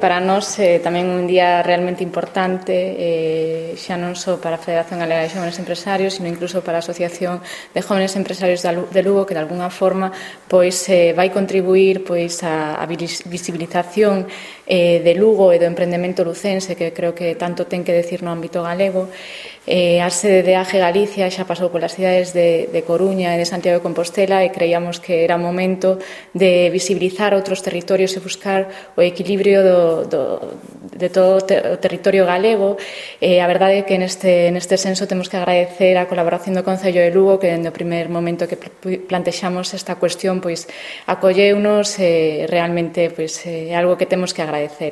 Para nós tamén un día realmente importante, xa non só para a Federación Galega de Xóvenes Empresarios, sino incluso para a Asociación de Jóvenes Empresarios de Lugo, que de alguna forma pois vai contribuir pois a visibilización de Lugo e do emprendemento lucense, que creo que tanto ten que decir no ámbito galego. A sede de AGE Galicia xa pasou polas cidades de Coruña e de Santiago de Compostela e creíamos que era momento de visibilizar outros territorios e buscar o equilibrio de todo o territorio galego. A verdade é que neste senso temos que agradecer a colaboración do Concello de Lugo, que dende o primer momento que plantexamos esta cuestión pois acolleunos, realmente pois é algo que temos que agradecer.